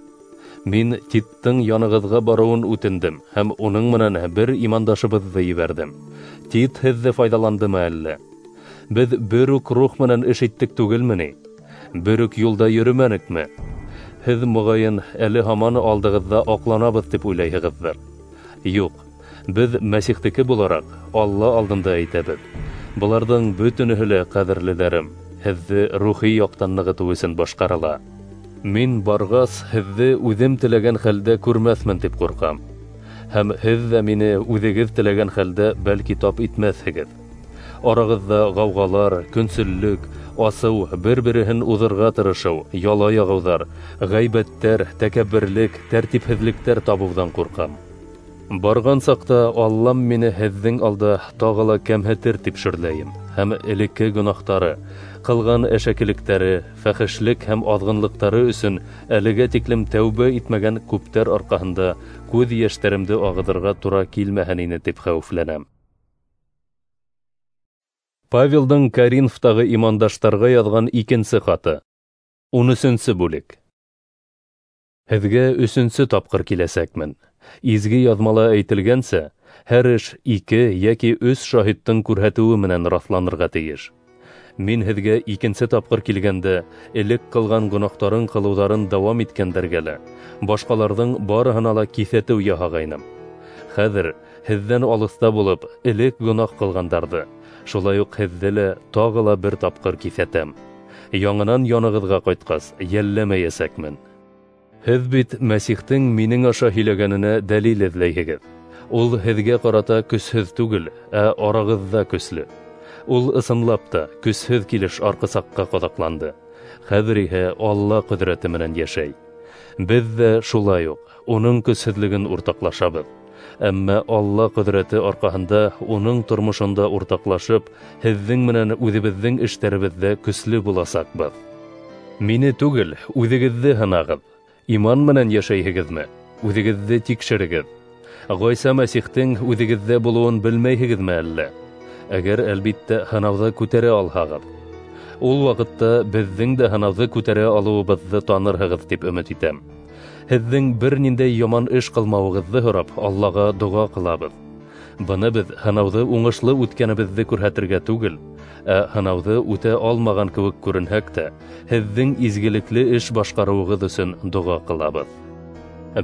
Мин Титтың янығыҙға барыуын үтендем һәм уның менән бер имандашыбыҙҙы ебәрҙем. Тит һеҙҙе файҙаландымы әллә? Беҙ бер үк рух менән эш иттек түгелме ни? Бер үк юлда йөрөмәнекме? Һеҙ моғайын әле һаман алдығыҙҙа аҡланабыҙ тип уйлайһығыҙҙыр. Юҡ, беҙ Мәсихтеке булараҡ Алла алдында әйтәбеҙ. Быларҙың бөтөнөһө лә, ҡәҙерлеләрем, һеҙҙе рухи яҡтан нығытыу өсөн башҡарыла. Мин барғас, һеҙҙе үҙем теләгән хәлдә күрмәҫмен тип ҡурҡам. Һәм һеҙ ҙә мине үҙегеҙ теләгән хәлдә бәлки тап итмәҫһегеҙ. Арағыҙҙа ғауғалар, көнсөллөк, асыу, бер-береһен уҙырға тырышыу, яла яғыуҙар, ғәйбәттәр, тәкәбберлек, тәртипһеҙлектәр табыуҙан ҡурҡам. Барған саҡта Аллам мине һеҙҙең алда тағы ла кәмһетер тип шөрләйем, һәм элекке гонаһтары, ҡылған әшәкелектәре, фәхешлек һәм аҙғынлыҡтары өсөн әлегә тиклем тәүбә итмәгән күптәр арҡаһында күҙ йәштәремде ағыҙырға тура килмәһен ине тип хәүефләнәм. Павелдың Коринфтағы имандаштарға яҙған икенсе хаты. 13-нсе бүлек. Һеҙгә өсөнсө тапҡыр киләсәкмен. Изге яҙмала әйтелгәнсә, һәр эш 2 йәки 3 шаһиттың күрһәтеүе менән раҫланырға тейеш. Мин һеҙгә икенсе тапҡыр килгәндә, элек ҡылған гонаһтарын ҡылыуҙарын дауам иткәндәргә лә, башҡаларҙың барыһына ла киҫәтеү яһағайным. Хәҙер һеҙҙән алыҫта булып, элек гонаһ ҡылғандарҙы, шулай уҡ һеҙҙе лә тағы ла бер тапҡыр киҫәтәм. Яңынан янығыҙға ҡайтҡас, йәлләмәйәсәкмен. Һеҙ бит Мәсихтең минең аша һөйләгәненә дәлил эҙләйһегеҙ. Ул һеҙгә ҡарата көсһөҙ түгел, ә арағыҙҙа көслө. Ул ысынлап та көсһөҙ килеш арҡысаҡҡа ҡаҙаҡланды. Хәҙер иһә Алла ҡөҙрәте менән йәшәй. Беҙ ҙә шулай уҡ уның көсһөҙлөгөн уртаҡлашабыҙ. Әммә Алла ҡөҙрәте арҡаһында уның тормошонда уртаҡлашып, һеҙҙең менән үҙебеҙҙең эштәребеҙҙә көслө буласаҡбыҙ. Мине түгел, үҙегеҙҙе һынағыҙ. Иман менән йәшәйһегеҙме? Үҙегеҙҙе тикшерегеҙ. Ғайса Мәсихтең үҙегеҙҙә булыуын белмәйһегеҙме әллә? Әгәр әлбиттә һынауҙы күтәрә алһағыҙ. Ул ваҡытта беҙҙең дә һынауҙы күтәрә алыуыбыҙҙы танырһығыҙ тип өмөт итәм. Һеҙҙең бер ниндәй яман эш ҡылмауығыҙҙы һорап Аллаға доға ҡылабыҙ. Быны беҙ һынауҙы уңышлы үткәнебеҙҙе күрһәтергә түгел, ә һынауҙы үтә алмаған кеүек күренһәк тә, һеҙҙең изгелекле эш башҡарыуығыҙ өсөн доға ҡылабыҙ.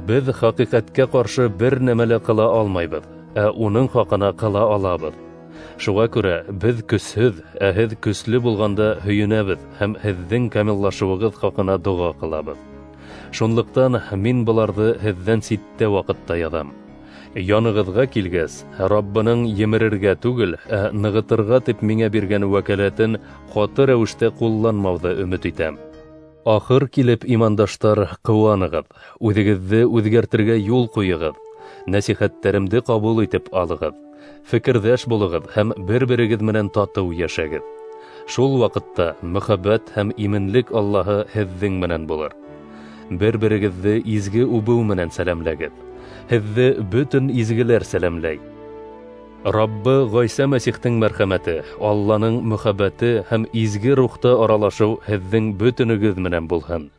Беҙ хәҡиҡәткә ҡаршы бер нәмә лә ҡыла алмайбыҙ, ә уның хаҡына ҡыла алабыҙ. Шуға күрә беҙ көсһөҙ, ә һеҙ көслө булғанда һөйөнәбеҙ һәм һеҙҙең камиллашыуығыҙ хаҡына доға ҡылабыҙ. Шунлыҡтан мин быларҙы һеҙҙән ситтә ваҡытта яҙам. Янығыҙға килгәс, Раббының емерергә түгел, ә нығытырға тип миңә биргән вәкәләтен ҡаты рәүештә ҡулланмауҙы өмөт итәм. Ахыр килеп, имандаштар, ҡыуанығыҙ, үҙегеҙҙе үҙгәртергә юл ҡуйығыҙ, нәсихәттәремде ҡабул итеп алығыҙ, фекерҙәш булығыҙ һәм бер-берегеҙ менән татыу йәшәгеҙ. Шул ваҡытта мөхәббәт һәм именлек Аллаһы һеҙҙең менән булыр. Бер-берегеҙҙе изге үбеү менән сәләмләгеҙ. Һеҙҙе бөтөн изгеләр сәләмләй. Раббы Ғайса Мәсихтең мәрхәмәте, Алланың мөхәббәте һәм изге рухта аралашыу һеҙҙең бөтөнөгөҙ менән булһын.